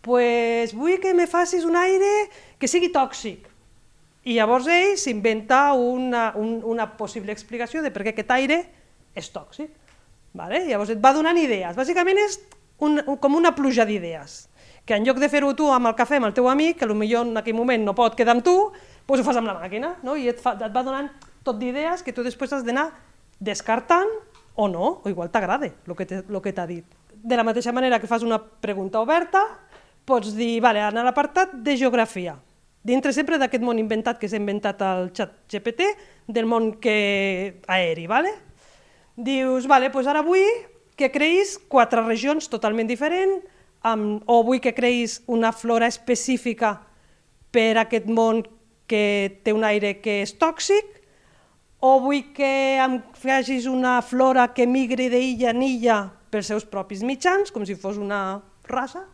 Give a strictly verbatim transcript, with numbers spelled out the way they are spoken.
pues vull que me facis un aire que sigui tòxic. I llavors ell s'inventa una, un, una possible explicació de per què aquest aire és tòxic. Vale? Llavors et va donant idees. Bàsicament és un, un, com una pluja d'idees, que en lloc de fer-ho tu amb el cafè amb el teu amic, que potser en aquell moment no pot quedar amb tu, doncs ho fas amb la màquina, no? I et, fa, et va donant tot d'idees que tu després has d'anar descartant o no, o igual t'agrada el que t'ha dit. De la mateixa manera que fas una pregunta oberta, pots dir, vale, anar a l'apartat de geografia, dintre sempre d'aquest món inventat que s'ha inventat el xat G P T, del món que... aeri, vale? Dius, vale, doncs ara vull que creïs quatre regions totalment diferents, amb, o vull que creïs una flora específica per a aquest món que té un aire que és tòxic, o vull que em facis una flora que migri d'illa en illa pels seus propis mitjans, com si fos una raça,